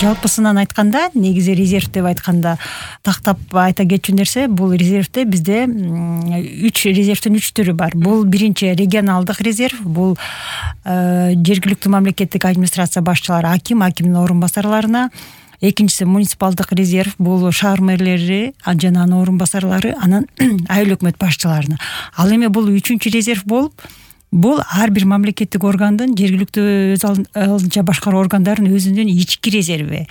жалпысынан айтканда, негизи резерв деп айтканда тактап айта кетчү нерсе, бул резервде бизде 3 резервдин 3 түрү бар. Бул биринчи регионалдык резерв, бул жергиликтүү мамлекеттик администрация башчылары, акимдин орун басарларына. Экинчиси муниципалдык резерв, бул шаар мэрлери жана анын орун басарлары, анан айыл өкмөт башчыларына. Ал эми бул үчүнчү резерв болуп, бул ар бир мамлекеттик органдын, жергиликтүү өз алдынча башкаруу органдарынын өзүнүн ички резерви.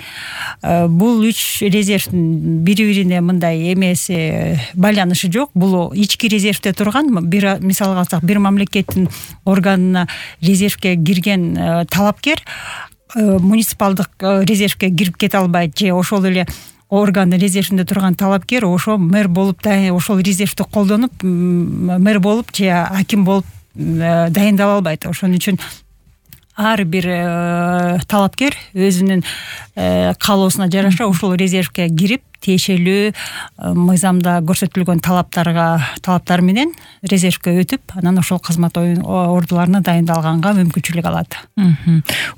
Бул 3 резервдин бири-бирине мындай эмеси, байланышы жок. Бул ички резервде турган, мисалга алсак, бир мамлекеттин органына резервге кирген талапкер муниципалдык резервге кирип кете албайт, же ошол эле органдын резервинде турган талапкер ошо мэр болуп, ошол резервди колдонуп мэр болуп же аким болуп дайындала албайт. Ошон үчүн ар бир талапкер өзүнүн каалоосуна жараша ошол резервге кирип, тиешелүү мыйзамда көрсөтүлгөн талаптар менен резервге өтүп, анан ошол кызмат ордуларына дайындалганга мүмкүнчүлүк алат.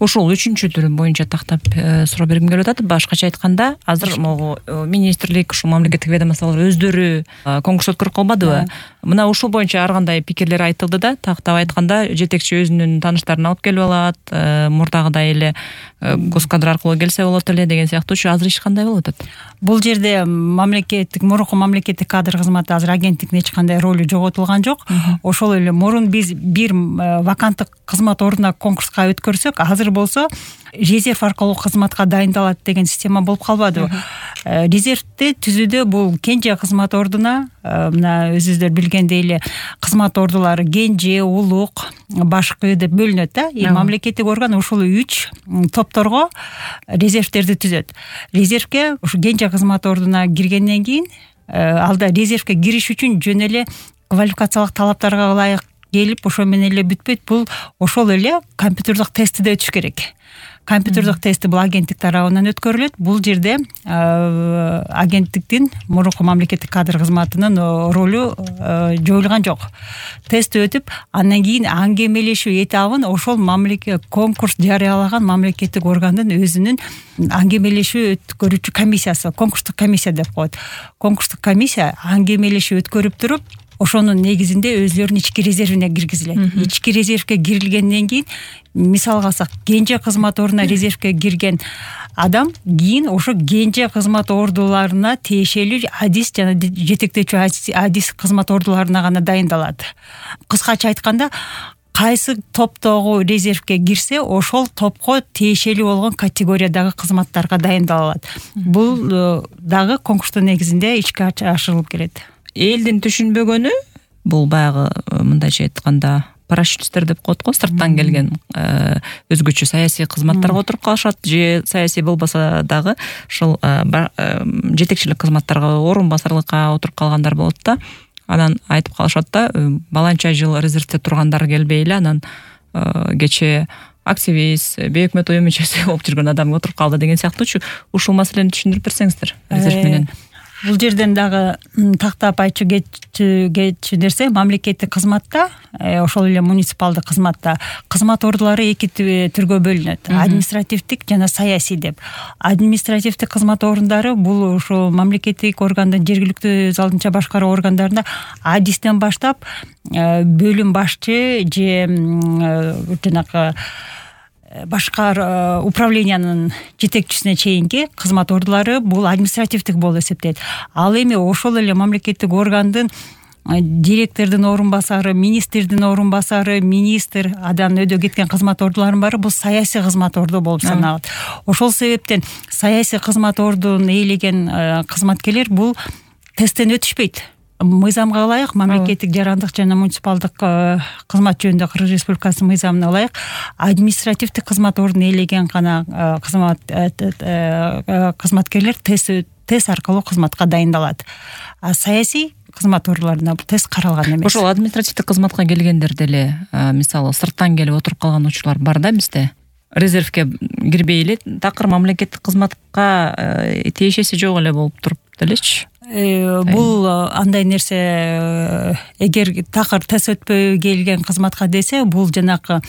Ошол үчүнчү түрү боюнча тактап суроо бергим келип атат. Башкача айтканда, азыр могу министрлик, ушул мамлекеттик ведомстволор өздөрү конкурс өткөрүп калбадыбы? Мына ушул боюнча ар кандай пикирлер айтылды да, тактап айтканда, жетекчи өзүнүн тааныштарын алып келип алат, мурдагыдай эле госкадр аркылуу келсе болот эле деген сыяктуучу. Азыр иш кандай болуп атат? Бул жерде мурунку мамлекеттик кадр кызматы азыр агенттиктин эч кандай ролу жоготулган жок. Ошол эле мурун биз бир ваканттык кызмат ордуна конкурска өткөрсөк, азыр болсо резерв аркылуу кызматка дайындалат деген система болуп калбадыбы? Резервди түзүүдө бул Кенже кызмат ордуна, мына өзүңүздөр билгендей эле кызмат ордулары Кенже, Улук, Башкы деп бөлүнөт да. Мамлекеттик орган ушул 3 топторго резервтерди түзөт. Резервге ушу Кенже кызмат ордуна киргенден кийин, алда резервге кириш үчүн жөн эле квалификациялык талаптарга ылайык келип, ошо менен эле бүтпөйт. Бул ошол эле компьютердик тестиде өтүш керек. Компьютердик тести бул агенттик тарабынан өткөрүлөт. Бул жерде агенттиктин, мурунку мамлекеттик кадр кызматынын ролу жоюлган жок. Тест өтүп, андан кийин аңгемелешүү этабын ошол конкурс жарыялаган мамлекеттик органдын өзүнүн аңгемелешүү өткөрүүчү комиссиясы, конкурстук комиссия деп коет. Конкурстук комиссия аңгемелешүү өткөрүп туруп, ошонун негизинде өзлөрүнүн ички резервине киргизилет. Ички резервге кирилгенден кийин, мисалга алсак, Кенже кызмат ордуна резервге кирген адам кийин ошо Кенже кызмат ордуларына тиешелүү адис жана жетектечү адис кызмат ордуларына гана дайындалат. Кыскача айтканда, кайсы топтогу резервге кирсе, ошол топко тиешелүү болгон категориядагы кызматтарга дайындалат. Бул дагы конкурстун негизинде ишке ашырылып келет. Элдин түшүнбөгөнү бул баягы мындайча айтканда парашютисттер деп коет го, сырттан келген өзгөчө саясий кызматтарга отуруп калышат, же саясий болбосо дагы ушул жетекчилик кызматтарга, орун басарлыкка отуруп калгандар болот да. Анан айтып калышат да, баланча жыл резервде тургандар келбей эле, анан кечээ активист, бейөкмөт уюм мүчөсү болуп жүргөн адам отуруп калды деген сыяктуучу. Ушул маселени түшүндүрүп берсеңиздер резерв менен. Бул жерден дагы тактап айтчу кетчү нерсе, мамлекеттик кызматта, ошол эле муниципалдык кызматта кызмат ордулары эки түргө бөлүнөт. Административдик жана саясий деп. Административдик кызмат ордундары бул ошо мамлекеттик органдын, жергиликтүү өз алдынча башкаруу органдарында адистен баштап бөлүм башчы же жанагы башка управлениянын жетекчисине чейинки кызмат ордулары бул административдик болуп эсептелет. Ал эми ошол эле мамлекеттик органдын директордун орун басары, министрдин орун басары, министр, адан өйдө кеткен кызмат ордуларынын баары бул саясий кызмат орду болуп саналат. Ошол себептен саясий кызмат ордун ээлеген кызматкерлер бул тесттен өтүшпөйт. Мыйзамга ылайык, мамлекеттик жарандык жана муниципалдык кызмат жөнүндө Кыргыз Республикасынын мыйзамына ылайык административдик кызмат ордун ээлеген гана кызматкерлер тест аркылуу кызматка дайындалат. А саясий кызмат ордуларына тест каралган эмес. Ошол административдик кызматка келгендер деле, мисалы, сырттан келип отуруп калган учурлар бар да бизде. Резервге кирбей эле такыр мамлекеттик кызматка тиешеси жок эле болуп туруп делечи. Бул андай нерсе, эгер такыр тест өтпөй келген кызматка десе, бул жанакы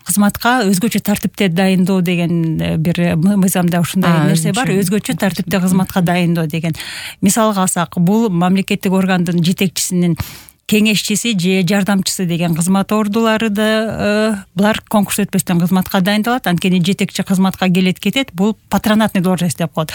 кызматка өзгөчө тартипте дайындоо деген бир мыйзамда ушундай нерсе бар. Өзгөчө тартипте кызматка дайындоо деген. Мисалга алсак, бул мамлекеттик органдын жетекчисинин кеңешчиси же жардамчысы деген кызмат ордулары да булар конкурс өтпөстөн кызматка дайындалат. Анткени жетекчи кызматка келет кетет, бул патронатный должность деп коет.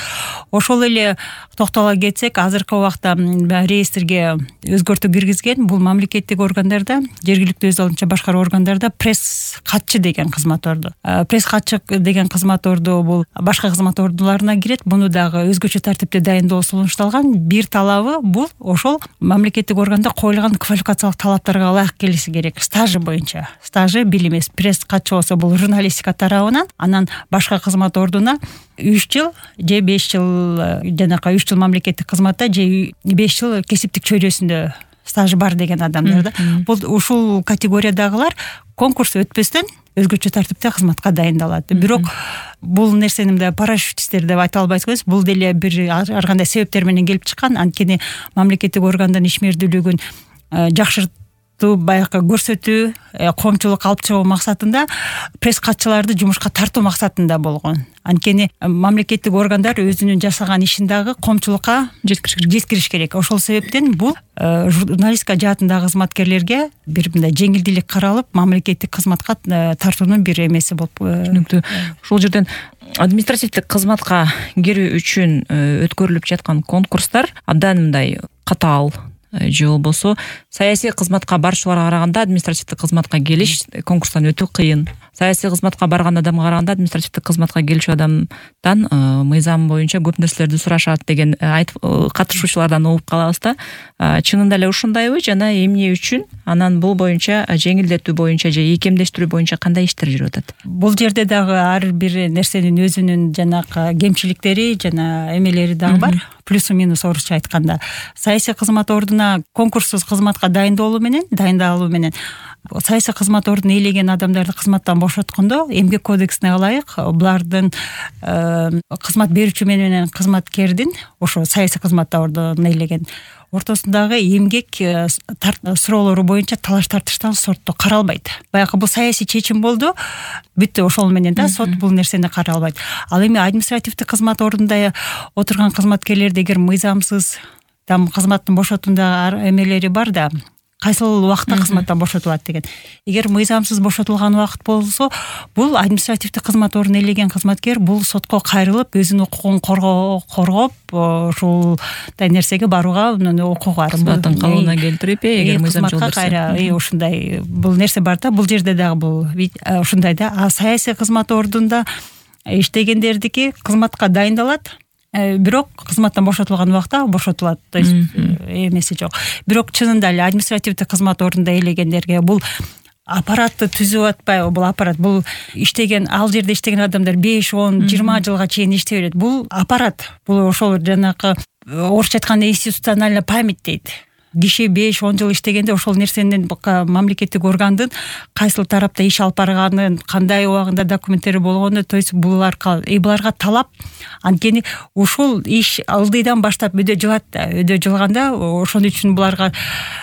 Ошол эле токтола кетсек, азыркы убакта реестрге өзгөртүү киргизген бул мамлекеттик органдарда, жергиликтүү өз алдынча башкаруу органдарда пресс катчы деген кызмат орду. Пресс катчы деген кызмат орду бул башка кызмат ордуларына кирет. Буну дагы өзгөчө тартипте дайындоо сунушталган. Бир талабы бул ошол мамлекеттик органда коюлган квалификациялык талаптарга ылайык келиси керек. Стажы боюнча. Стажы билимес. Пресс катчы болсо бул журналистика тарабынан, анан башка кызмат ордуна 3 жыл же 5 жыл жанакы 3 жыл мамлекеттик кызматта же 5 жыл кесиптик чөйрөсүндө стажы бар деген адамдар да. Бул ушул категориядагылар конкурс өтпөстөн өзгөчө тартипте кызматка дайындалат. Бирок бул нерсени мындай парашютисттер деп айта албайсыз. Бул деле бир ар кандай себептер менен келип чыккан. Анткени мамлекеттик органдын ишмердүүлүгүн жакшыртуу, баягы көрсөтүү, коомчулук алып чыгуу максатында пресс катчыларды жумушка тартуу максатында болгон. Анткени мамлекеттик органдар өзүнүн жасаган ишин дагы коомчулукка жеткириш керек. Ошол себептен бул журналистика жаатындагы кызматкерлерге бир мындай жеңилдүүлүк каралып, мамлекеттик кызматка тартуунун бир эмеси болуп. Түшүнүктүү. Ошол жерден административдик кызматка кирүү үчүн өткөрүлүп жаткан конкурстар абдан мындай катаал же болбосо саясий кызматка барчуларга караганда административдик кызматка келиш конкурстан өтүү кыйын. Саясий кызматка барган адамга караганда административдик кызматка келчү адамдан мыйзам боюнча көп нерселерди сурашат деген айтып катышуучулардан угуп калабыз да. Чынында эле ушундайбы жана эмне үчүн анан бул боюнча жеңилдетүү боюнча же ийкемдештирүү боюнча кандай иштер жүрүп атат? Бул жерде дагы ар бир нерсенин өзүнүн жанакы кемчиликтери жана эмелери дагы бар. Плюсу минус орусча айтканда. Саясий кызмат ордуна конкурссуз кызматка дайындалуу менен саясий кызмат ордун ээлеген адамдарды кызматтан бошоткондо эмгек кодексине ылайык булардын кызмат берүүчү менен кызматкердин ошо саясий кызматта ордун ээлеген ортосундагы эмгек суроолору боюнча талаш тартыштан сотто каралбайт. Баягы бул саясий чечим болду, бүттү, ошол менен да сот бул нерсени каралбайт. Ал эми административдик кызмат ордунда отурган кызматкерлерди эгер мыйзамсыз там кызматтын бошотундагы эмелери бар да, кайсыл убакытта кызматтан бошотулат деген. Эгер мыйзамсыз бошотулган убакыт болсо, бул административдик кызмат ордун ээлеген кызматкер бул сотко кайрылып, өзүнүн укугун коргоп, ушулдай нерсеге барууга укугу бар. Кызматтын калыбына келтирип, эгер мыйзам жолдорсо. Ушундай бул нерсе бар да, бул жерде дагы бул ушундай да. А саясий кызмат ордунда иштегендердики кызматка дайындалат. Бирок кызматтан бошотулган убакта бошотулат, то есть эмеси жок. Бирок чынында эле административдик кызмат ордунда ээлегендерге бул аппаратты түзүп атпайбы? Бул аппарат, бул иштеген, ал жерде иштеген адамдар 5, 10, 20 жылга чейин иштей берет. Бул аппарат, бул ошол жанакы орусча айтканда институциональная память дейт. Киши 5-10 жыл иштегенде ошол нерсенин мамлекеттик органдын кайсыл тарапта иш алып барганын, кандай убагында документтери болгону, то есть буларга талап. Анткени ушул иш ылдыйдан баштап өдө жылат да. Өдө жылганда ошон үчүн буларга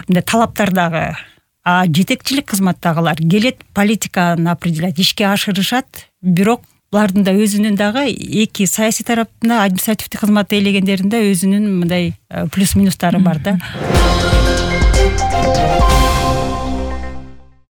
мындай талаптар дагы. А жетекчилик кызматтагылар келет, политиканы определять, ишке ашырышат, бирок булардын да өзүнүн дагы эки саясий тараптында, административдик кызматты ээлегендеринде өзүнүн мындай плюс минустары бар да.